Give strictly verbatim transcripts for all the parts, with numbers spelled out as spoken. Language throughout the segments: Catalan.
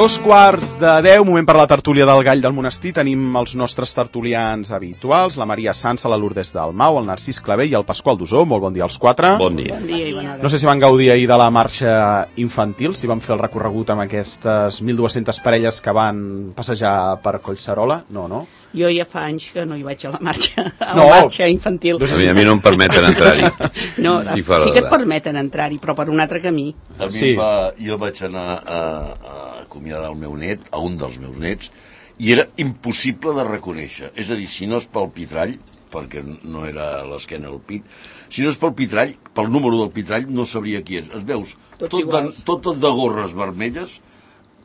Dos quarts de deu, moment per la tertúlia del Gall del Monestir. Tenim els nostres tertulians habituals, la Maria Sansa, la Lourdes Dalmau, el Narcís Clavé i el Pasqual Dusó. Molt bon dia als quatre. Bon dia. Bon dia i bona hora. No sé si van gaudir ahir de la marxa infantil, si van fer el recorregut amb aquestes mil dues-centes parelles que van passejar per Collserola. No, no? Jo ja fa anys que no hi vaig a la marxa, a No. la marxa infantil. A mi, a mi no em permeten entrar-hi. No, Estic fora sí que et d'edat. permeten entrar-hi, però per un altre camí. A mi Sí. sí. va, jo vaig anar a, a acomiadar el meu net, a un dels meus nets, i era impossible de reconèixer. És a dir, si no és pel pitrall, perquè no era a l'esquena del pit, si no és pel pitrall, pel número del pitrall, no sabria qui és. Es veus Tots tot de, iguals. tot de gorres vermelles,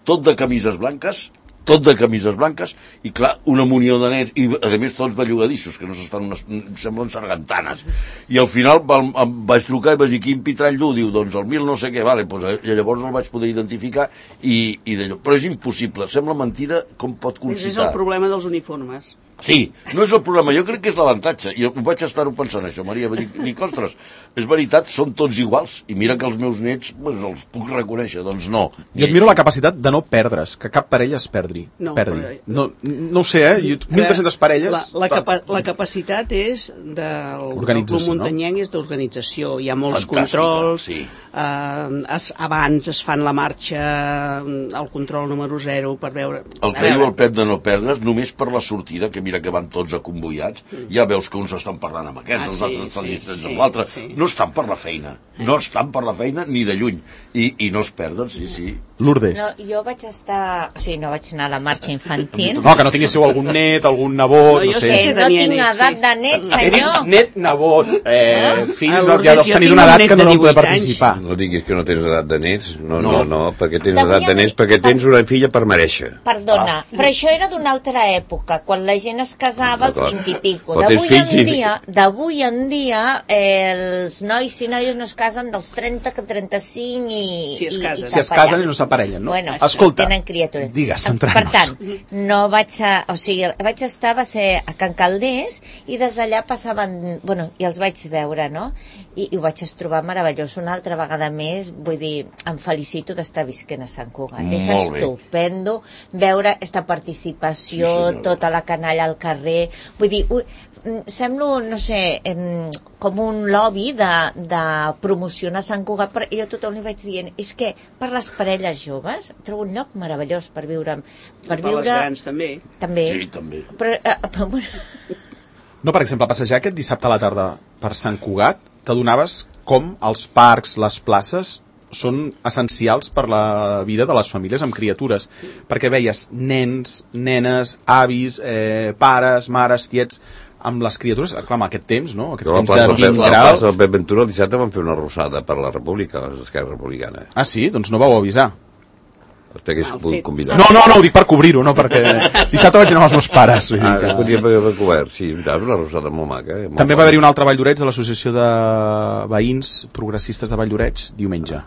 tot de camises blanques, tot de camises blanques, i clar, una munió de nens, i a més tots bellugadissos, que no s'estan unes, semblen sargantanes. I al final em, em vaig trucar i vaig dir, quin pitrall du? Diu, doncs el mil no sé què, vale, doncs, i llavors el vaig poder identificar, i, i d'allò. Però és impossible, sembla mentida com pot Aquest és el concitar. problema dels uniformes. Sí, no és el problema, jo crec que és l'avantatge. I vaig estar-ho pensant, això, Maria. Vaig dir, dic, ostres, és veritat, són tots iguals. I mira que els meus nets pues, els puc reconèixer, doncs no. Jo admiro la capacitat de no perdre's, que cap parella es perdi. No, perdi. però- No, no ho sé, eh? Jo- mil tres-centes parelles... La, la, capa, la capacitat és del, del Organització, Club no? Muntanyenc, és d'organització. Hi ha molts Fantàstica, controls. sí. Eh, es, abans es fan la marxa, el control número zero per veure... El que diu el Pep de no perdre's, només per la sortida, que mira que van tots acomboiats, ja veus que uns estan parlant amb aquests, Ah, els sí, altres sí, estan llistats sí, amb l'altre. sí. No estan per la feina, no estan per la feina ni de lluny. I, i no es perden, sí, sí. Lourdes. No, jo vaig estar... O sigui, no vaig anar a la marxa infantil. No, que no tinguéssiu algun net, algun nebot, No, no, jo sé. sé Eh, que no tenia tinc net, edat sí. de net, He dit senyor. net, nebot, eh, fills, A ja Lourdes deus jo tenir tinc d'una un edat net que no de no poder divuit anys. participar. No diguis que no tens edat de nets. No, no, No. no, perquè tens D'avui edat de en- nets, perquè tens una filla per mereixer. Perdona, però això era d'una altra època, quan la gent es casava als D'acord. vint i pico. Però tens D'avui en fills i- dia, d'avui en dia, eh, els nois i noies no es casen dels trenta que trenta-cinc i... Si es i- casen. i Si es cap allà. casen i no s'aparellen, no? Bueno, Escolta, tenen criatures. digues, Per centrant-nos. tant, no vaig a... O sigui, vaig estar, va ser a Can Calders, i des d'allà passaven... Bueno, i els vaig veure, no? I, i ho vaig trobar meravellós una altra vegada més. Vull dir, em felicito d'estar visquent a Sant Cugat. És Molt bé. estupendo veure aquesta participació, Sí, senyora. tota la canalla al carrer. Vull dir, un, mm, semblo, no sé, em, com un lobby de, de promocionar Sant Cugat, però jo a tothom li vaig dient, és que per les parelles joves trobo un lloc meravellós per viure. Per Per viure les grans, també. també. Sí, també. Però, eh, però, bueno, No, per exemple, passejar aquest dissabte a la tarda per Sant Cugat, t'adonaves com els parcs, les places, són essencials per la vida de les famílies amb criatures, perquè veies nens, nenes, avis, eh, pares, mares, tiets, amb les criatures, clar, amb aquest temps, no? Aquest Jo a la temps plaça, de del Pep, vint a la graus. plaça del Pep Ventura el dissabte van fer una rosada per la República, l'Esquerra Republicana. Ah, sí? Doncs no vau avisar. T'hagués Mal pogut fet. convidar. No, no, no, ho dic per cobrir-ho, no, perquè dissabte vaig anar amb els meus pares. Vull dir Ah, que... que podia haver cobert, sí, és veritat, una rosada molt maca. Eh? Molt També va bona. haver-hi un altre Valldoreix de l'Associació de Veïns Progressistes de Valldoreix diumenge.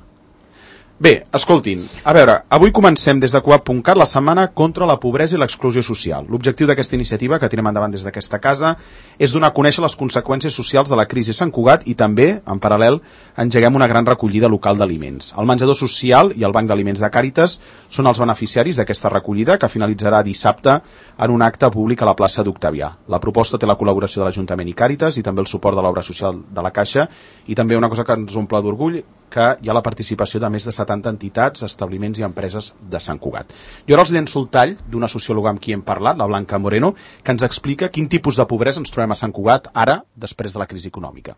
Bé, escoltin, a veure, avui comencem des de coap punt cat la setmana contra la pobresa i l'exclusió social. L'objectiu d'aquesta iniciativa, que tirem endavant des d'aquesta casa, és donar a conèixer les conseqüències socials de la crisi a Sant Cugat i també, en paral·lel, engeguem una gran recollida local d'aliments. El menjador social i el Banc d'Aliments de Càritas són els beneficiaris d'aquesta recollida, que finalitzarà dissabte en un acte públic a la plaça d'Octavià. La proposta té la col·laboració de l'Ajuntament i Càritas i també el suport de l'obra social de la Caixa i també una cosa que ens omple d'orgull, que hi ha la participació de més de setanta entitats, establiments i empreses de Sant Cugat. Jo ara els llenço el tall d'una sociòloga amb qui hem parlat, la Blanca Moreno, que ens explica quin tipus de pobresa ens trobem a Sant Cugat ara, després de la crisi econòmica.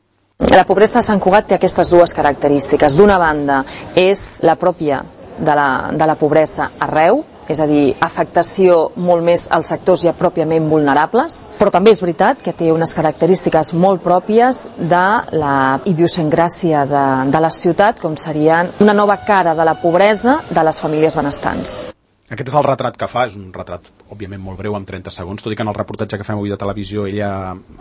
La pobresa a Sant Cugat té aquestes dues característiques. D'una banda, és la pròpia de la, de la pobresa arreu, és a dir, afectació molt més als sectors ja pròpiament vulnerables, però també és veritat que té unes característiques molt pròpies de la idiosincràsia de, de la ciutat, com serien una nova cara de la pobresa de les famílies benestants. Aquest és el retrat que fa, és un retrat òbviament molt breu, amb trenta segons, tot i que en el reportatge que fem avui de televisió ella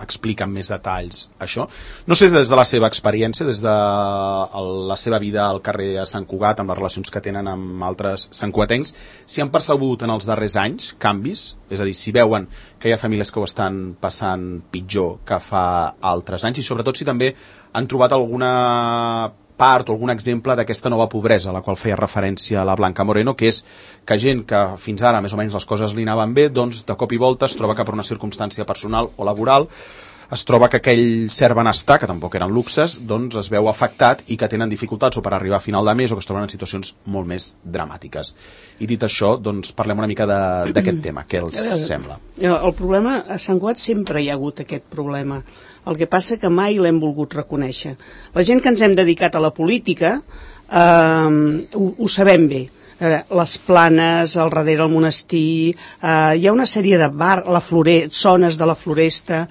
explica amb més detalls això. No sé des de la seva experiència, des de la seva vida al carrer a Sant Cugat, amb les relacions que tenen amb altres santcugatencs, si han percebut en els darrers anys canvis, és a dir, si veuen que hi ha famílies que ho estan passant pitjor que fa altres anys, i sobretot si també han trobat alguna part o algun exemple d'aquesta nova pobresa a la qual feia referència la Blanca Moreno, que és que gent que fins ara més o menys les coses li anaven bé, doncs de cop i volta es troba que per una circumstància personal o laboral es troba que aquell cert benestar, que tampoc eren luxes, doncs es veu afectat i que tenen dificultats o per arribar a final de mes o que es troben en situacions molt més dramàtiques. I dit això, doncs parlem una mica d'aquest tema. Què els sembla? El problema, a Sant Cugat sempre hi ha hagut aquest problema. El que passa que mai l'hem volgut reconèixer. La gent que ens hem dedicat a la política eh, ho, ho sabem bé. Les Planes, al darrere el monestir, eh, hi ha una sèrie de bar, la flore, zones de la floresta,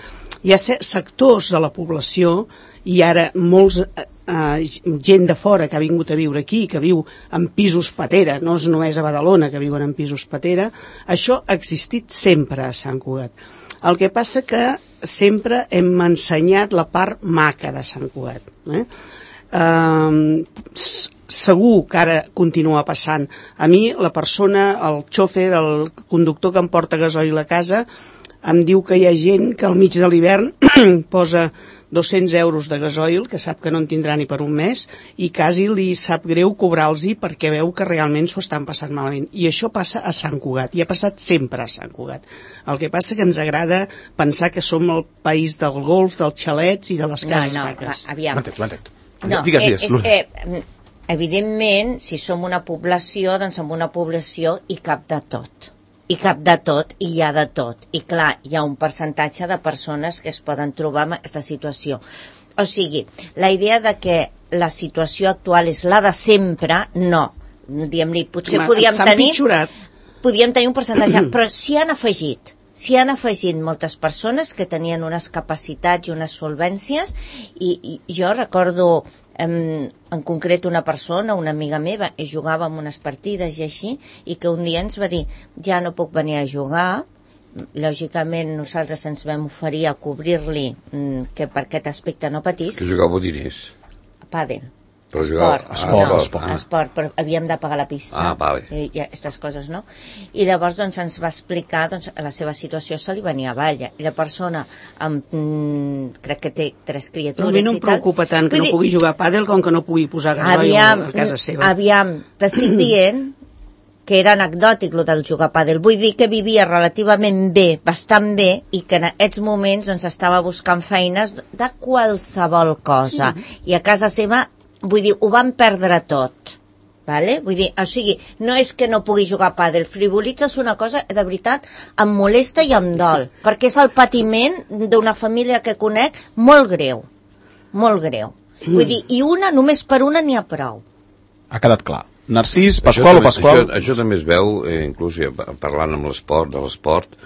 hi ha sectors de la població i ara molts eh, gent de fora que ha vingut a viure aquí, que viu en pisos patera, no és només a Badalona que viuen en pisos patera, això ha existit sempre a Sant Cugat. El que passa que sempre hem ensenyat la part maca de Sant Cugat. Eh? Eh, segur que ara continua passant. A mi la persona, el xòfer, el conductor que em porta gasoil a casa, em diu que hi ha gent que al mig de l'hivern posa dos-cents euros de gasoil, que sap que no en tindrà ni per un mes, i quasi li sap greu cobrar-los-hi perquè veu que realment s'ho estan passant malament. I això passa a Sant Cugat, i ha passat sempre a Sant Cugat. El que passa que ens agrada pensar que som el país del golf, dels xalets i de les cases no, no, maques. aviam. M'entenc, m'entenc. No, digues, digues, és, eh, evidentment, si som una població, doncs som una població i cap de tot. I cap de tot, i hi ha de tot. I clar, hi ha un percentatge de persones que es poden trobar en aquesta situació. O sigui, la idea de que la situació actual és la de sempre, no. Diguem-li, potser podíem tenir, podíem tenir un percentatge, però s'hi han afegit. S'hi han afegit moltes persones que tenien unes capacitats i unes solvències, i, i jo recordo en, en concret una persona, una amiga meva, jugava en unes partides i així, i que un dia ens va dir, ja no puc venir a jugar. Lògicament nosaltres ens vam oferir a cobrir-li que per aquest aspecte no patís. Que jugava diners? Pàdel. Però esport, ah, esport, no, esport, ah. esport, però havíem de pagar la pista. Ah, vale. I, i aquestes coses, no? I llavors doncs, ens va explicar doncs, la seva situació, se li venia avall. I la persona, amb, mm, crec que té tres criatures... A mi no em preocupa tant que no pugui jugar a pàdel com que no pugui posar gasoil a casa seva. Aviam, t'estic dient que era anecdòtic lo del jugar a pàdel. Vull dir que vivia relativament bé, bastant bé, i que en aquests moments doncs, estava buscant feines de qualsevol cosa. Sí. I a casa seva, vull dir, ho van perdre tot. Vale? Vull dir, o sigui, no és que no pugui jugar a pàdel, frivolitzes una cosa, de veritat, em molesta i em dol, perquè és el patiment d'una família que conec molt greu, molt greu. Vull dir, i una, només per una n'hi ha prou. Ha quedat clar. Narcís, Pasqual o Pasqual? Això, això també es veu, eh, inclús ja, parlant amb l'esport, de l'esport,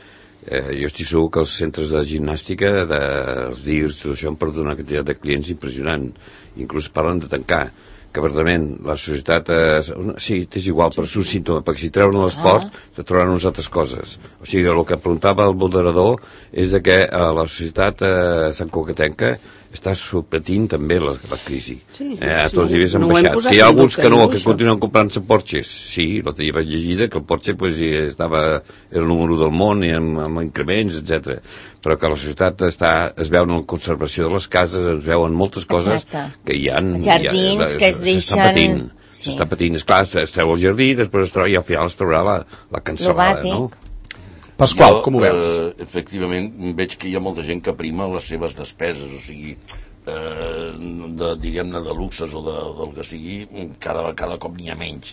eh, jo estic segur que els centres de gimnàstica, dels D I R S, tot això, han perdut una quantitat de clients impressionant. Inclús parlen de tancar, que verdament la societat eh, sí, és igual, però és un símptoma, perquè si treuen l'esport ah. te trauran unes altres coses. O sigui, el que preguntava el moderador és de que eh, la societat eh, santcugatenca està patint també la, la crisi. Sí, eh, a tots els nivells han no baixat. Que hi ha alguns que no, que continuen comprant-se Porches. Sí, l'altre dia vaig llegir que el Porsche pues, estava, era el número del món i amb, amb increments, etcètera. Però que la societat està, es veu en la conservació de les cases, es veuen moltes coses Exacte. Que hi ha... Jardins hi ha, que es deixen... patint. Sí. S'està patint. Esclar, es treu el jardí, després es treu, i al final es traurà la, la cansalada, no? Pasqual, jo, com ho veus? Eh, efectivament, veig que hi ha molta gent que prima les seves despeses, o sigui, eh, de, diguem-ne, de luxes o de, del que sigui, cada, cada cop n'hi ha menys.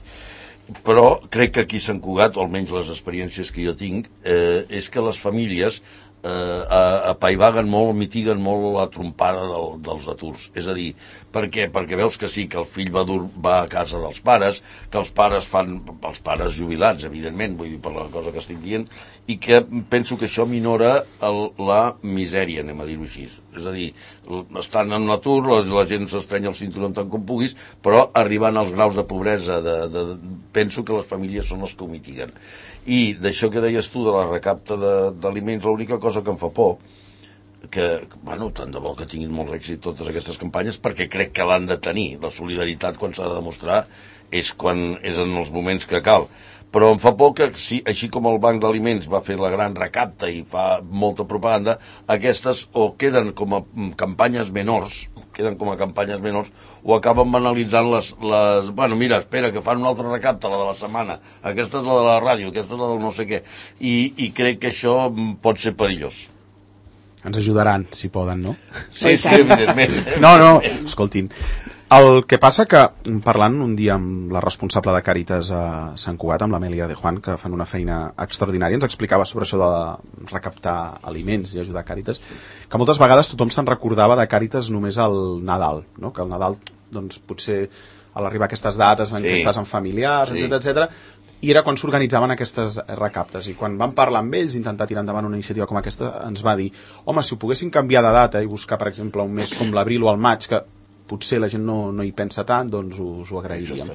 Però crec que aquí a Sant Cugat, o almenys les experiències que jo tinc, eh, és que les famílies eh, apaivaguen molt, mitiguen molt la trompada del, dels aturs. És a dir, per què? Perquè veus que sí, que el fill va, dur, va a casa dels pares, que els pares fan, els pares jubilats, evidentment, vull dir, per la cosa que estic dient, i que penso que això minora el, la misèria, anem a dir-ho així. És a dir, estan en l'atur, la, la gent s'estrenya el cinturó tant com puguis, però arribant als graus de pobresa, de, de, penso que les famílies són les que ho mitiguen. I d'això que deies tu, de la recapta d'aliments, l'única cosa que em fa por, que, bueno, tant de bo que tinguin molt èxit totes aquestes campanyes, perquè crec que l'han de tenir. La solidaritat, quan s'ha de demostrar, és quan és en els moments que cal. Però em fa por que, si, així com el Banc d'Aliments va fer la gran recapta i fa molta propaganda, aquestes o queden com a campanyes menors, queden com a campanyes menors, o acaben banalitzant les, les... Bueno, mira, espera, que fan un altre recapte, la de la setmana, aquesta és la de la ràdio, aquesta és la del no sé què, i, i crec que això pot ser perillós. Ens ajudaran, si poden, no? Sí, sí, evidentment. No, no, escoltin. El que passa que, parlant un dia amb la responsable de Càritas a Sant Cugat, amb l'Amèlia de Juan, que fan una feina extraordinària, ens explicava sobre això de recaptar aliments i ajudar Càritas, que moltes vegades tothom se'n recordava de Càritas només al Nadal, no? Que al Nadal, doncs, potser a l'arribar a aquestes dates en sí. què estàs amb familiars, sí. etcètera, etcètera, i era quan s'organitzaven aquestes recaptes, i quan vam parlar amb ells, intentar tirar endavant una iniciativa com aquesta, ens va dir, home, si ho poguessin canviar de data i buscar, per exemple, un mes com l'abril o el maig, que potser la gent no, no hi pensa tant, doncs us ho agrairíem.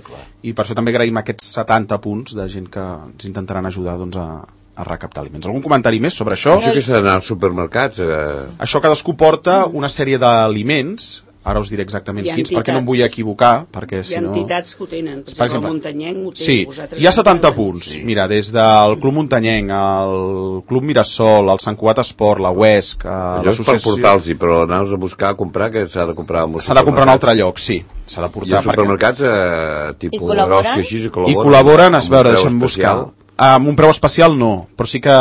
I per això també agraïm aquests setanta punts de gent que ens intentaran ajudar doncs, a, a recaptar aliments. Algun comentari més sobre això? Això que s'ha d'anar als supermercats. Eh... Això cadascú porta una sèrie d'aliments, ara us diré exactament quins, perquè no em vull equivocar, perquè si no... Hi ha entitats que ho tenen, per, per exemple, exemple el Muntanyenc ho té. Sí, hi ha setanta punts, sí. Mira, des del Club Muntanyenc, el Club Mirasol, el Sant Cugat Esport, la U E S C, allò és per portar-los-hi, però anar-los a buscar a comprar, que s'ha de comprar s'ha de comprar en un altre lloc, sí, s'ha de portar. I els supermercats, eh, tipus I col·laboren? Així, i col·laboren, I col·laboren, es veure, deixa'm buscar. Amb un preu especial no, però sí que...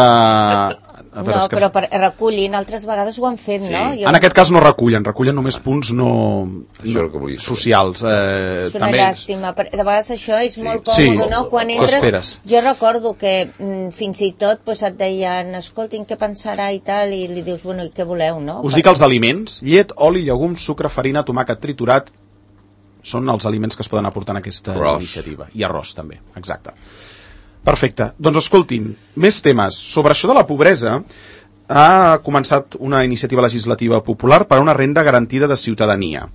Veure, no, però per, recullin, altres vegades ho han fet, sí. no? Jo... En aquest cas no recullen, recullen només punts no, no socials. Eh, és una també... llàstima, de vegades això és molt còmode, sí. no? Quan entres, jo recordo que mm, fins i tot pues, et deien, escoltin, què pensarà i tal, i li dius, bueno, i què voleu, no? Us dic els aliments, llet, oli, llegums, sucre, farina, tomàquet triturat, són els aliments que es poden aportar en aquesta arròs. Iniciativa. I arròs, també, exacte. Perfecte. Doncs escoltin, més temes. Sobre això de la pobresa, ha començat una iniciativa legislativa popular per a una renda garantida de ciutadania.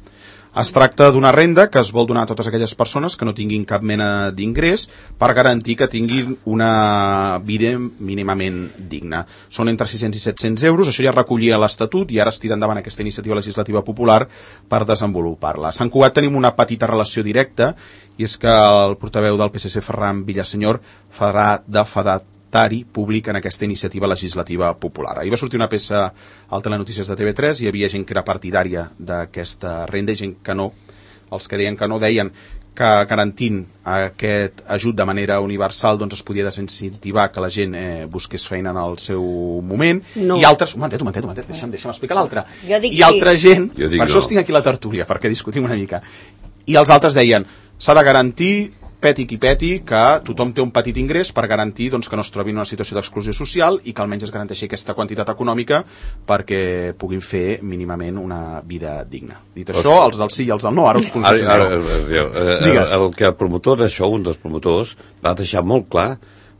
Es tracta d'una renda que es vol donar a totes aquelles persones que no tinguin cap mena d'ingrés per garantir que tinguin una vida mínimament digna. Són entre sis-cents i set-cents euros, això ja recollia l'Estatut i ara es tira endavant aquesta iniciativa legislativa popular per desenvolupar-la. A Sant Cugat tenim una petita relació directa i és que el portaveu del P S C, Ferran Villasenyor, farà de fedat públic en aquesta iniciativa legislativa popular. Ahir va sortir una peça al Telenotícies de T V tres, hi havia gent que era partidària d'aquesta renda i gent que no. Els que deien que no deien que garantint aquest ajut de manera universal doncs es podia desincentivar que la gent eh, busqués feina en el seu moment, no. I altres... Un momentet, un momentet, un momentet, deixa'm, deixa'm explicar l'altre. I sí. altra gent, per no. Això estic aquí a la tertúlia, perquè discutim una mica. I els altres deien, s'ha de garantir peti qui peti, que tothom té un petit ingrés per garantir doncs, que no es trobi en una situació d'exclusió social i que almenys es garanteixi aquesta quantitat econòmica perquè puguin fer mínimament una vida digna. Dit això, els del sí i els del no, ara us posicioneu. El, el que el promotor d'això, un dels promotors, va deixar molt clar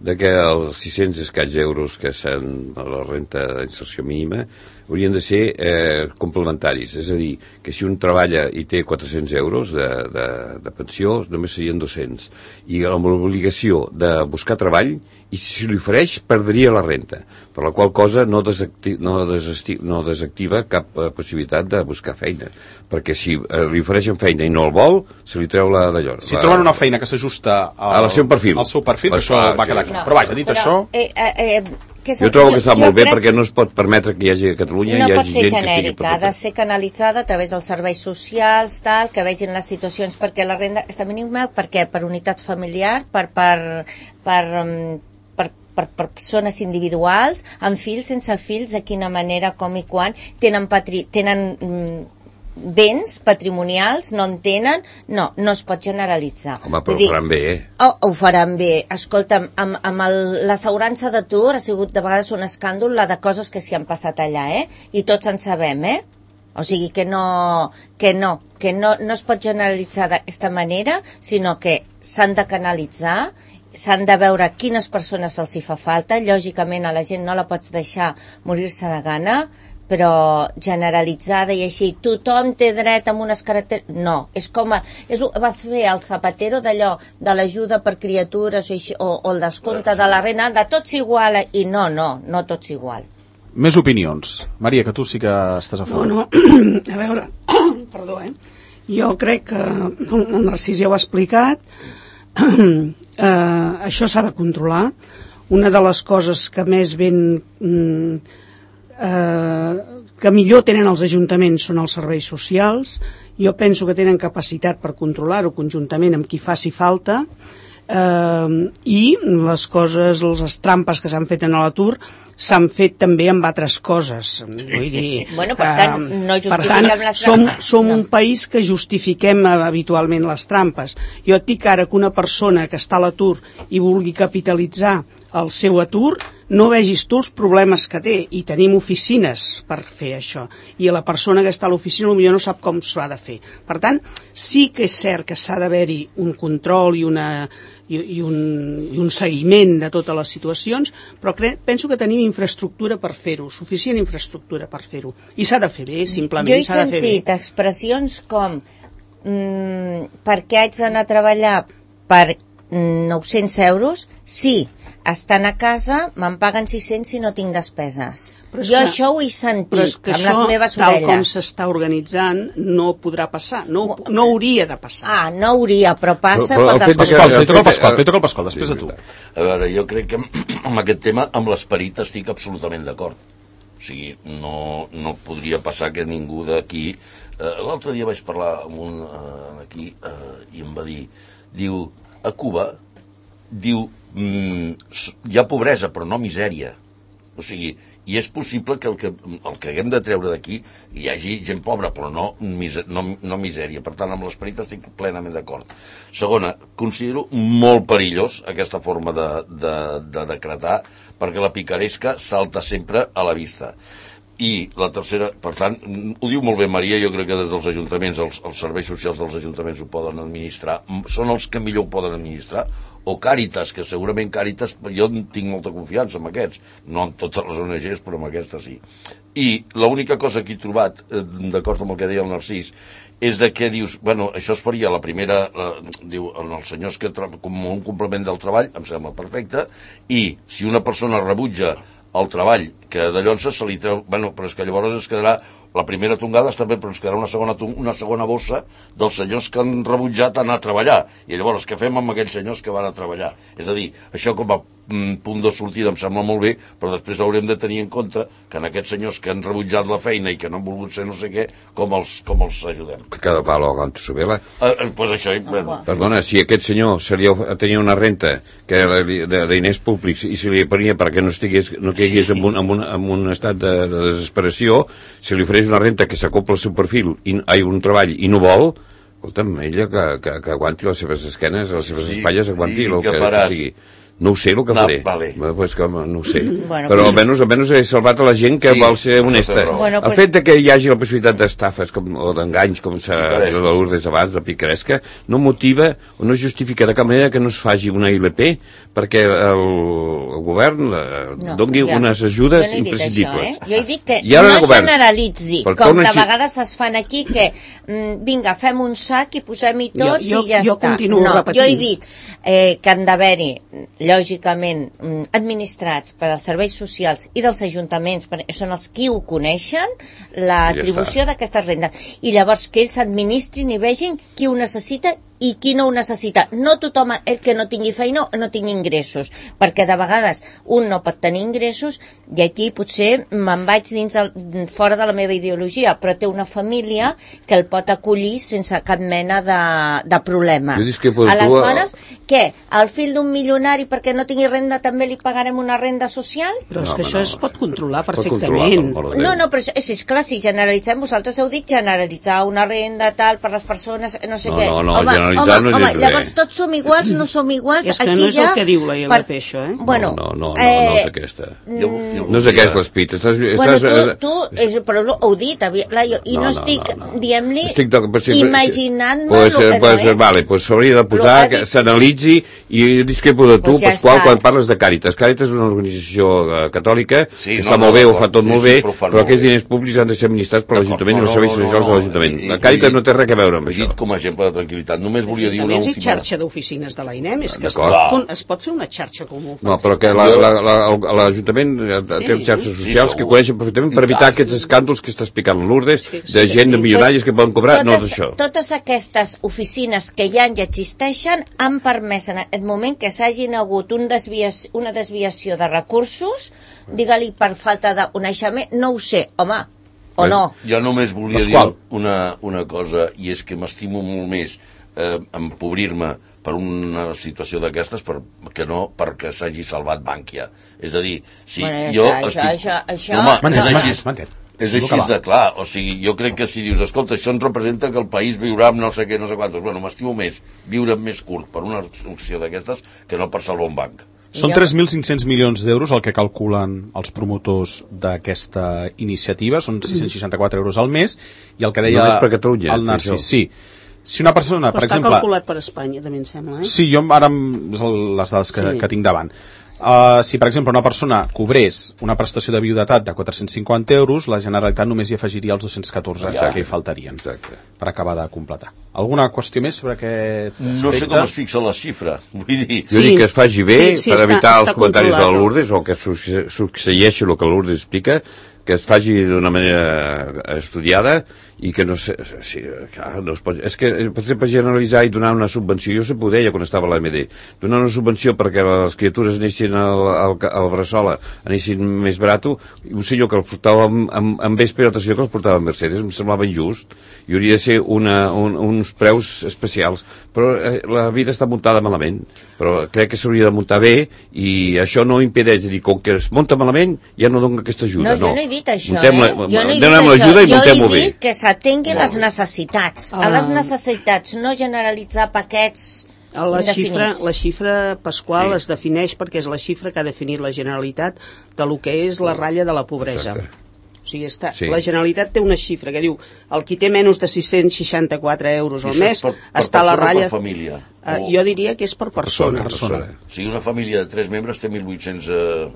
de que els sis-cents escaig euros que són la renta d'inserció mínima haurien de ser eh, complementaris, és a dir, que si un treballa i té quatre-cents euros de, de, de pensió, només serien dos-cents, i amb l'obligació de buscar treball, i si li ofereix, perdria la renta, per la qual cosa no, desacti no, desacti no desactiva cap eh, possibilitat de buscar feina, perquè si eh, li ofereixen feina i no el vol, se li treu la d'allò. Si la... troben una feina que s'ajusta al, al seu perfil, al seu perfil pues, això clar, va quedar sí. clar. No, però vaja, dit però, això... Eh, eh, eh, que jo trobo que està molt bé crec... perquè no es pot permetre que hi hagi a Catalunya no hi hagi gent que estigui... No pot ser genèrica, ha de ser canalitzada a través dels serveis socials, tal, que vegin les situacions, perquè la renda està mínima, perquè per unitat familiar, per, per, per, per, per, per persones individuals, amb fills, sense fills, de quina manera, com i quan, tenen, patri... tenen béns patrimonials, no en tenen, no, no es pot generalitzar. Home, però ho faran bé, eh? Oh, ho faran bé. Escolta'm, amb, amb l'assegurança d'atur ha sigut de vegades un escàndol la de coses que s'hi han passat allà, eh? I tots en sabem, eh? O sigui que no, que no, que no, no es pot generalitzar d'aquesta manera, sinó que s'han de canalitzar, s'han de veure quines persones se'ls hi fa falta, lògicament a la gent no la pots deixar morir-se de gana, però generalitzada i així, tothom té dret amb unes característiques... No, és com... A, és, va fer el Zapatero d'allò, de l'ajuda per criatures o, així, o, o el descompte de la renda, de tots igual, i no, no, no tots igual. Més opinions. Maria, que tu sí que estàs a favor. No, no, a veure, perdó, eh? Jo crec que el Narcís ja ho ha explicat, eh, això s'ha de controlar. Una de les coses que més ben... Mm, eh, que millor tenen els ajuntaments són els serveis socials. Jo penso que tenen capacitat per controlar-ho conjuntament amb qui faci falta, eh, i les coses, les trampes que s'han fet en l'atur s'han fet també amb altres coses. Vull dir, bueno, per tant, no justifiquem per tant, les som, trampes. som no. un país que justifiquem habitualment les trampes. Jo et dic ara que una persona que està a l'atur i vulgui capitalitzar el seu atur, no vegis tu els problemes que té, i tenim oficines per fer això, i la persona que està a l'oficina potser no sap com s'ha de fer. Per tant, sí que és cert que s'ha d'haver-hi un control i, una, i, i, un, i un seguiment de totes les situacions, però cre, penso que tenim infraestructura per fer-ho, suficient infraestructura per fer-ho, i s'ha de fer bé, simplement. Jo he s'ha de fer bé. sentit expressions com mm, per què haig d'anar a treballar per mm, nou-cents euros? Sí, estan a casa, me'n paguen sis-cents si no tinc despeses. Jo que, això ho he sentit, però és que amb això, les meves tal orelles. com s'està organitzant, no podrà passar, no, no hauria de passar. Ah, no hauria, però passa Però- però pels el fet de que- Pasqual, altres. li toca el Pasqual, li toca el Pasqual, després Sí, de tu. A veure, jo crec que amb aquest tema, amb l'esperit, estic absolutament d'acord. O sigui, no, no podria passar que ningú d'aquí... Eh, L'altre dia vaig parlar amb un eh, aquí eh, i em va dir, diu, a Cuba, diu, mm, hi ha pobresa però no misèria. O sigui, i és possible que el que, el que haguem de treure d'aquí hi hagi gent pobra, però no, mise, no, no misèria. Per tant, amb l'esperit estic plenament d'acord. Segona, considero molt perillós aquesta forma de, de, de decretar, perquè la picaresca salta sempre a la vista. I la tercera, per tant, ho diu molt bé Maria, jo crec que des dels ajuntaments, els, els serveis socials dels ajuntaments ho poden administrar, són els que millor ho poden administrar, o Càritas, que segurament Càritas, jo tinc molta confiança en aquests, no en totes les O N Ges, però en aquestes sí. I l'única cosa que he trobat, eh, d'acord amb el que deia el Narcís, és de què dius, bueno, això es faria la primera, eh, diu, en els senyors que com un complement del treball, em sembla perfecte, i si una persona rebutja el treball, que de llonsa se li treu, bueno, però és que llavors es quedarà la primera tongada està bé, però ens quedarà una segona, una segona bossa dels senyors que han rebutjat anar a treballar. I llavors, què fem amb aquells senyors que van a treballar? És a dir, això com a mm, punt de sortida em sembla molt bé, però després haurem de tenir en compte que en aquests senyors que han rebutjat la feina i que no han volgut ser no sé què, com els, com els ajudem. Cada palo aguanta su vela. Eh, eh, pues això, bueno. Perdona, si aquest senyor se li of- tenia una renta que era de, de diners públics i se li prenia perquè no estigués, no caigués en un, en un, en un estat de, de desesperació, se li ofereix una renta que s'acopla al seu perfil i hi ha un treball i no vol, escolta'm, ella que, que, que aguanti les seves esquenes, les seves Sí, espatlles, aguanti i el què que, faràs? que sigui. No ho sé el que No, faré. vale. Bueno, pues que no ho sé. Bueno, Però pues- almenys, almenys he salvat a la gent que Sí, vol ser això honesta. té raó. Bueno, El pues- fet de que hi hagi la possibilitat d'estafes com, o d'enganys, com s'ha Picaresques. dit a l'Urdes abans, de picaresca, no motiva o no justifica de cap manera que no es faci una I L P perquè el, el govern la, No, doni ja. unes ajudes Jo no he dit imprescindibles. això, eh? Jo he dit que I ara no el govern, generalitzi, per com tornar de així- vegades es fan aquí, que mm, vinga, fem un sac i posem-hi tots Jo- jo- i ja jo està. continuo No, repetint. jo he dit eh, que han d'haver-hi, lògicament, mm, administrats per als serveis socials i dels ajuntaments, perquè són els qui ho coneixen, l'atribució d'aquestes rendes. I llavors que ells administrin i vegin qui ho necessita i qui no ho necessita. No tothom, el que no tingui feina, no tingui ingressos, perquè de vegades un no pot tenir ingressos i aquí potser me'n vaig dins el, fora de la meva ideologia, però té una família que el pot acollir sense cap mena de, de problema. Jo discrepo de tu, Aleshores, què? Al fill d'un milionari perquè no tingui renda també li pagarem una renda social? Però és No, que home, això no. es pot controlar Pot controlar, perfectament. per amor de Déu. No, no, però això, és, és clar, si generalitzem, vosaltres heu dit generalitzar una renda tal per les persones, no sé No, què. no, no, home, generalitzar home, no home, és llavors res. tots som iguals, no som iguals. És que aquí no és ja, el que diu la I L P, això, eh? Bueno, no, no, no, eh, no és aquesta. Jo, jo No és aquest l'espit. Estàs, Bueno, estàs, tu, tu és, però ho heu dit, avi- clar, jo, i no, No, no, estic, no, no. diem-li, Estic de- però sí, imaginant-me pues, el que pues, no és. Vale, pues s'hauria de Però posar, ha que dit- s'analitzi, i discrepo de tu, Pues ja Pasqual, està. quan parles de Càritas. Càritas és una organització eh, catòlica, Sí, que no, està no, molt bé, ho d'acord. fa tot Sí, molt sí, bé, però ho fan però molt aquests bé. diners públics han de ser administrats per D'acord, l'Ajuntament i no, els serveis no, no, socials de no, l'Ajuntament. i- La Càritas i- no té res a veure amb He això. dit com a exemple de tranquil·litat. Només només volia dir una Ajuntaments i última... xarxa d'oficines de l'AINEM, és que es D'acord. pot, es pot fer una xarxa comú. No, però que la- la- la- l'Ajuntament té xarxes socials Sí, que segur. coneixen perfectament per evitar aquests escàndols que està explicant Lourdes, Sí, sí, de gent de sí. milionaris que poden cobrar. No és totes, això. totes aquestes oficines que hi ha i existeixen han permès en aquest moment que s'hagin hagut un desviació, una desviació de recursos, digue-li per falta de coneixement, no ho sé, home, o no. Jo només volia Pasqual. dir una, una cosa, i és que m'estimo molt més eh, empobrir-me per una situació d'aquestes per, que no perquè s'hagi salvat Bànquia. És a dir, si Bueno, ja jo... està, això- això- això- Home, M'entén, és m'entén, així, m'entén. és Deixa-lo així acabar. de clar. O sigui, jo crec que si dius, escolta, això ens representa que el país viurà amb no sé què, no sé quantos. Bueno, m'estimo més viure més curt per una acció d'aquestes que no per salvar un banc. Són Jo- tres mil cinc-cents milions d'euros el que calculen els promotors d'aquesta iniciativa, són sis-cents seixanta-quatre euros al mes, i el que deia Només per Catalunya, el fer Narcís, això. sí. Si una persona, Però per està exemple... calculat per Espanya, també em sembla, eh? Sí, jo ara em- és el- les dades que, Sí. que tinc davant. Uh, si, per exemple, una persona cobrés una prestació de viudetat de quatre-cents cinquanta euros, la Generalitat només hi afegiria els dos-cents catorze Ja. que hi faltarien Exacte. per acabar de completar. Alguna qüestió més sobre aquest aspecte? No sé com es fixa la xifra. Vull dir... Jo Sí. dic que es faci bé Sí, sí, per està- evitar està els comentaris de la controlat. Lourdes o que succe- succeeixi el que Lourdes explica, que es faci d'una manera estudiada i que no sé... Sí, clar, no es pot, és que, per exemple, generalitzar i donar una subvenció, jo sempre ho deia quan estava a l'A M D, donar una subvenció perquè les criatures anessin al, al, al Bressola, anessin més barato, un senyor que els portava en, en, en vespre i l'altre senyor que els portava en Mercedes, em semblava injust, i hauria de ser una, un, uns preus especials, però eh, la vida està muntada malament, però crec que s'hauria de muntar bé i això no impedeix, dir, com que es munta malament ja no dona aquesta ajuda, No, no. jo no he dit això, Muntem-la- eh? Jo no he dit donem això. l'ajuda i Jo muntem-ho he bé. dit que s'atenguin les necessitats. A Ah. les necessitats, no generalitzar paquets La xifra, indefinits. la xifra, Pasqual, Sí. es defineix perquè és la xifra que ha definit la Generalitat de lo que és la ratlla de la pobresa. Exacte. O sigui, està, Sí. la Generalitat té una xifra que diu el qui té menys de sis-cents seixanta-quatre euros al Això és mes per- per està a la persona o ratlla... per família? Uh, O- jo diria que és per persona. persona. O sigui, una família de tres membres té mil vuit-cents... Eh...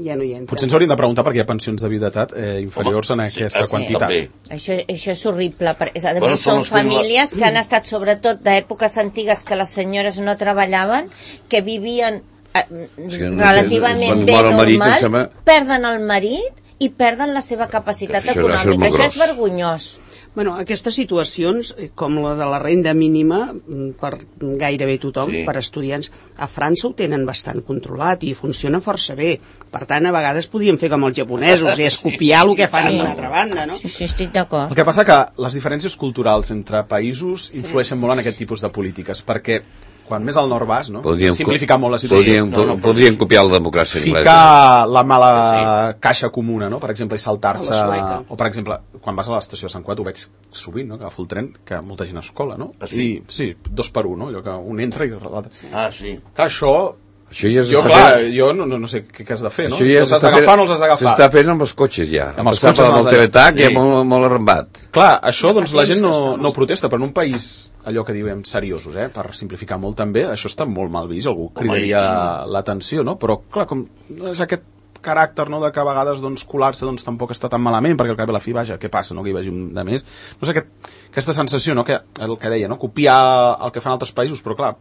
Ja no hi entra. Potser ens hauríem de preguntar perquè hi ha pensions de viudetat eh, inferiors Home, en sí, aquesta sí, quantitat. també. Això, això és horrible. Per, és, a Bueno, més, són són els que no- famílies que han estat, sobretot d'èpoques antigues que les senyores no treballaven, que vivien eh, que no sé, relativament quan bé mor el marit, em normal, sembla- perden el marit i perden la seva capacitat Això deu ser econòmica. molt Això és gros. vergonyós. Bueno, aquestes situacions, eh, com la de la renda mínima, mm, per gairebé tothom, Sí. sí. per estudiants, a França ho tenen bastant controlat i funciona força bé. Per tant, a vegades podien fer com els japonesos i escopiar el que fan a una altra banda, no? Sí, sí, estic d'acord. El que passa que les diferències culturals entre països influeixen molt en aquest tipus de polítiques, perquè quan més al nord vas, no? Podríem, simplificar molt la situació. podríem, No, no, però- podríem copiar la democràcia anglesa. Ficar la mala caixa comuna, no? Per exemple, i saltar-se... A la sueca. O, per exemple, quan vas a l'estació de Sant Cugat, ho veig sovint, no? Que agafo el tren, que molta gent es cola, no? Ah, sí? I, sí, dos per un, no? Allò que un entra i l'altre... Ah, sí. Clar, això... Això ja Jo, s'està clar, fent- jo no, no, no sé què, què has de fer, no? Això Si ja els has s'està d'agafar o fent- no els has d'agafar. S'està fent amb els cotxes, ja. Amb els Passar cotxes per els el de- teletac sí. ja molt, molt arrambat. Clar, això, doncs, la Fa gent temps que no, està no protesta, però en un país, allò que diem, seriosos, eh, per simplificar molt també, això està molt mal vist, algú cridaria l'atenció, no? Però, clar, com és aquest caràcter, no?, de que a vegades, doncs, colar-se, doncs, tampoc està tan malament, perquè al cap i a la fi, vaja, què passa, no?, que hi vagi un de més. No sé, aquest, aquesta sensació, no?, que el que deia, no?, copiar el que fan altres països, però, clar,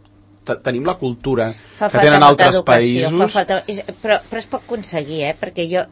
te- tenim la cultura Fa que falta tenen molta altres educació, països. fa falta... és- Però, però es pot aconseguir, eh? Perquè jo,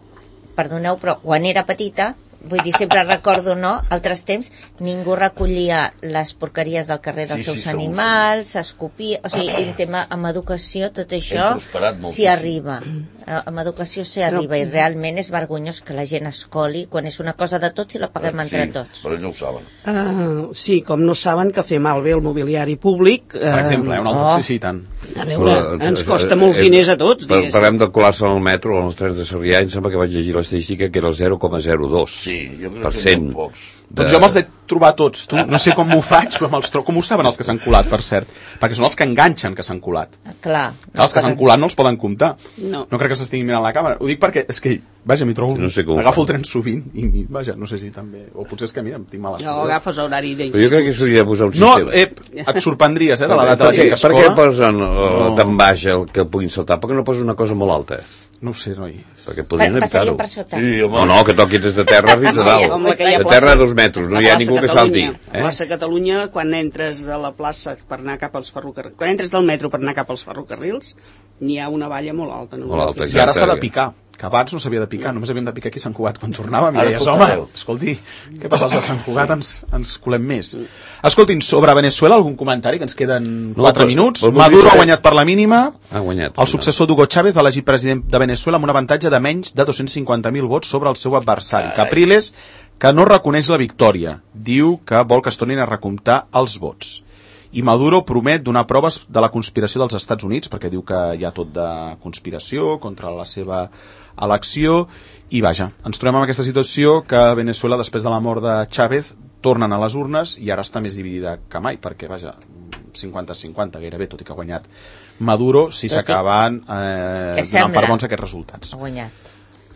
perdoneu, però quan era petita, vull dir, sempre recordo, no?, altres temps, ningú recollia les porqueries del carrer dels Sí, sí, seus segur, animals, s'escopia... O sigui, en tema, amb educació, tot això prosperat moltíssim. s'hi arriba. Eh, Amb educació s'hi arriba i realment és vergonyós que la gent es coli quan és una cosa de tots i la paguem entre Sí, tots. però ells no ho saben. Uh, sí, com no saben que fer malbé el mobiliari públic... Uh, Per exemple, eh, un altre, Oh. sí, sí, tant. A veure, Però, ens eh, costa eh, molts eh, diners a tots, par- diguéssim. Parlem de colar-se al metro o als trens de Sarrià, em sembla que vaig llegir l'estadística que era el zero coma zero dos Sí, jo crec per que cent. són pocs. Doncs jo me'ls he trobat tots, tu. No sé com m'ho faig, però me'ls trobo. Com ho saben els que s'han colat, per cert? Perquè són els que enganxen que s'han colat. Clar. Clar, els que s'han colat no els poden comptar. No. No crec que s'estiguin mirant la càmera. Ho dic perquè, és que, vaja, m'hi trobo... Sí, no sé com ho agafo fan. el tren sovint i, vaja, no sé si també... O potser és que, mira, em tinc mala No, sort. agafes horari Però jo d'instituts. crec que s'hauria de posar un No, sistema. eh, et sorprendries, eh, de l'edat de la per, gent què, que es per què cola. posen uh, tan baix el que puguin saltar? Per què no posen una cosa molt alta? No ho sé, noi. Perquè podrien Passarien evitar-ho. per sota. Sí, home. No, no, que toqui des de terra fins a dalt. Com la que hi ha De plaça- terra a dos metres, no la hi ha plaça ningú que Catalunya. salti. La plaça Catalunya, quan entres de la plaça per anar cap als ferrocarrils, quan entres del metro per anar cap als ferrocarrils, n'hi ha una valla molt alta. No Molt alta, Fixa't. I ara s'ha de Exacte. picar, que abans no s'havia de picar, només havíem de picar aquí a Sant Cugat quan tornàvem i Ara deies, tot home, arreu. escolti, què passa, els de Sant Cugat ens, ens colem més. Escoltin, sobre Venezuela, algun comentari, que ens queden No, quatre però- minuts. però Maduro voldria ha saber- guanyat per la mínima, Ha guanyat. el successor d'Hugo Chávez, elegit president de Venezuela amb un avantatge de menys de dos-cents cinquanta mil vots sobre el seu adversari. Capriles, que no reconeix la victòria, diu que vol que es tornin a recomptar els vots. I Maduro promet donar proves de la conspiració dels Estats Units, perquè diu que hi ha tot de conspiració contra la seva elecció, i vaja, ens trobem en aquesta situació que Venezuela, després de la mort de Chávez, tornen a les urnes i ara està més dividida que mai, perquè vaja, cinquanta cinquanta gairebé, tot i que ha guanyat Maduro, si Tot i- s'acaben eh, Que donant sembla. per bons aquests resultats. Ha guanyat.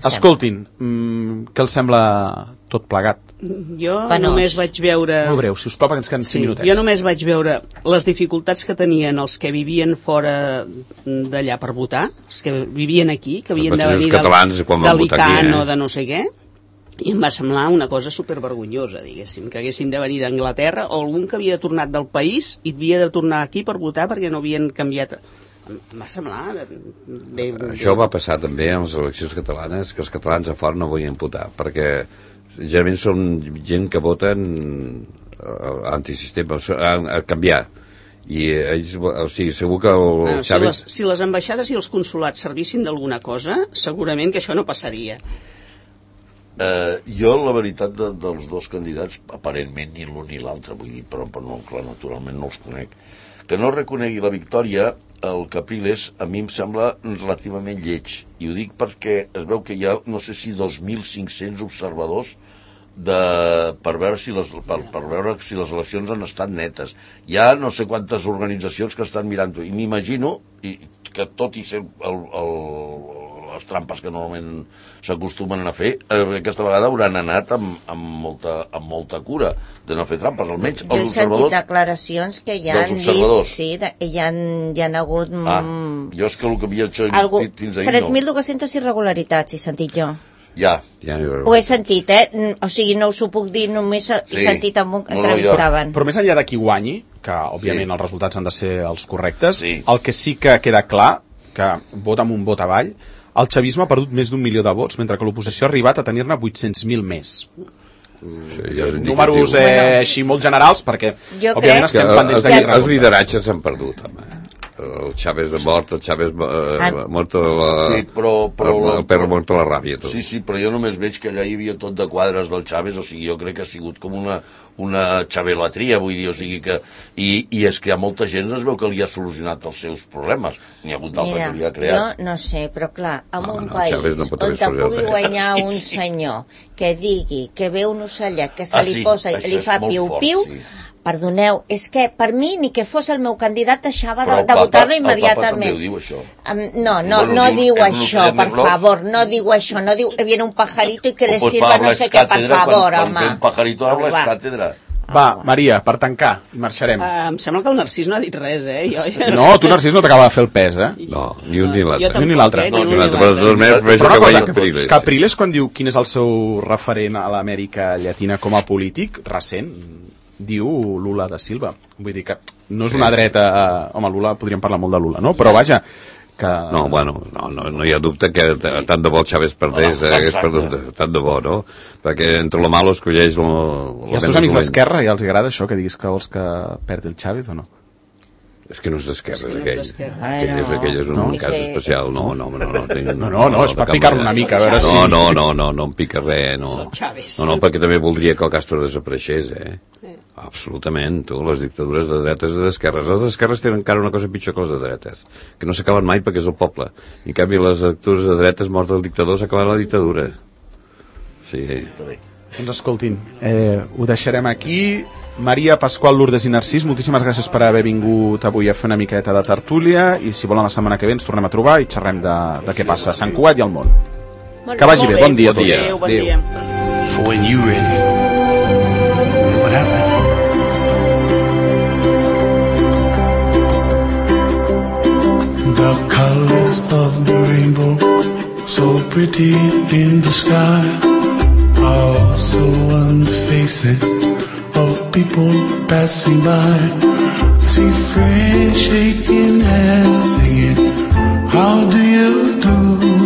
Escoltin, mm, què els sembla tot plegat? Jo Penós. només vaig veure... Molt breu, si us plau, perquè ens queden cinc Sí, minutets. jo només vaig veure les dificultats que tenien els que vivien fora d'allà per votar, els que vivien aquí, que havien de mateixos venir catalans quan van votar aquí, d'Alicant eh? o de no sé què, i em va semblar una cosa supervergonyosa, diguéssim, que haguessin de venir d'Anglaterra o algun que havia tornat del país i havia de tornar aquí per votar perquè no havien canviat... Em va semblar... De, de, de... Això va passar també en les eleccions catalanes, que els catalans a fora no volien votar, perquè generalment són gent que voten uh, antisistema, a, a canviar. I ells, o sigui, segur que el Bueno, si, Chávez... les, si les ambaixades i els consulats servissin d'alguna cosa, segurament que això no passaria. Eh, jo, la veritat de, dels dos candidats, aparentment ni l'un ni l'altre, vull dir, però, però no, clar, naturalment no els conec, que no reconegui la victòria, el Capriles, a mi em sembla relativament lleig. I ho dic perquè es veu que hi ha, no sé si dos mil cinc-cents observadors de, per, veure si les, per, per veure si les eleccions han estat netes. Hi ha no sé quantes organitzacions que estan mirant-ho, i m'imagino i, que tot i ser el, el, les trampes que normalment s'acostumen a fer, eh, aquesta vegada hauran anat amb, amb, molta, amb molta cura de no fer trampes, almenys Jo he els sentit observadors. declaracions que ja dels han dit, observadors. sí, de, hi, han, hi han hagut Ah, mm, jo és que el que havia hecho algú, fins ahir tres mil no. dues-centes irregularitats, he sentit jo. Ja, Ja, Ho he sentit, eh? Mm, O sigui, no us ho puc dir, només he Sí. sentit amb un que No, no, jo- entrevistaven. Però més enllà de qui guanyi, que òbviament Sí. els resultats han de ser els correctes, Sí. el que sí que queda clar, que vot amb un vot avall, el xavisme ha perdut més d'un milió de vots, mentre que l'oposició ha arribat a tenir-ne vuit-cents mil més. sí, ja és Números indicatiu. eh, així molt generals, perquè Jo òbviament crec- estem Que pendents els, de qui els resulta. lideratges s'han perdut, home. El Chávez ha mort, el Chávez eh, Ah. mort a la... Sí, però- però- el, el perro mort a la ràbia, tot. sí, sí, però jo només veig que allà hi havia tot de quadres del Chávez, o sigui, jo crec que ha sigut com una, una xavelatria, vull dir, o sigui que... I, I és que hi ha molta gent, es veu que li ha solucionat els seus problemes. N'hi ha hagut d'altres Mira, que li ha creat. jo no sé, però clar, en No, un no, país Chávez no pot on haver te solucionat pugui res. guanyar Sí, un sí. senyor que digui que ve un ocellet que se Ah, li sí, posa i això li és fa molt piu-piu, fort, sí. perdoneu, és que per mi ni que fos el meu candidat deixava Però de, el de Papa- votar-lo el Papa immediatament. també ho diu, això. Um, no, no, Bueno, no diu- diu en un això, ocellet per de flors. favor, no diu això, no diu que viene un pajarito y que le O pues sirva para no hablar sé què, per cátedra, favor, quan, home. quan ve un pajarito habla és Va. càtedra. Va, Maria, per tancar, i marxarem. Uh, em sembla que el Narcís no ha dit res, eh? Jo, No, tu, Narcís, no t'acaba de fer el pes, eh? No, ni un ni l'altre. Jo tampoc, Ni l'altre. eh? No, Ni ni un l'altre, ni però de totes maneres l'altre. prefereixo Però que una vagi cosa, Capriles. Capriles, quan diu quin és el seu referent a l'Amèrica Llatina com a polític, recent, diu Lula da Silva. Vull dir que no és una dreta... Home, Lula, podríem parlar molt de Lula, no? Però vaja, que... No, bueno, no, no, no hi ha dubte que t- tant de bo el Chávez perdés, No, eh, hagués exacte. perdut tant de bo, no? Perquè entre lo malo escolleix lo, I als teus amics d'Esquerra ja els agrada això, que diguis que vols que perdi el Chávez o no? És que no és d'Esquerra, És que no és aquell. d'Esquerra. Aquell, és, Ai, aquell és un no. cas Sí. especial. No, no, no, no, tinc, No, no, no, és de per cap picar-lo manera. una mica, a veure no, si- No, no, no, no em pica res, no. És el Chávez. No, no, perquè també voldria que el Castro desapareixés, eh? Absolutament, tu, les dictadures de dretes i d'esquerres. Les d'esquerres tenen encara una cosa pitjor que les de dretes, que no s'acaben mai perquè és el poble. I en canvi les dictadures de dretes, mort el dictador, s'ha acabat la dictadura. Sí. Doncs escoltin, eh, ho deixarem aquí. Maria, Pasqual, Lourdes i Narcís, moltíssimes gràcies per haver vingut avui a fer una miqueta de tertúlia, i si volen la setmana que ve ens tornem a trobar i xerrem de, de què passa a Sant Cugat i al món. Molt Que vagi Molt bé, bon dia a bon tots. dia. Adéu, bon Adéu. dia. For when you ready. And what happened? The colors of the rainbow so pretty in the sky, also on the faces of people passing by. I see friends shaking hands, singing, how do you do?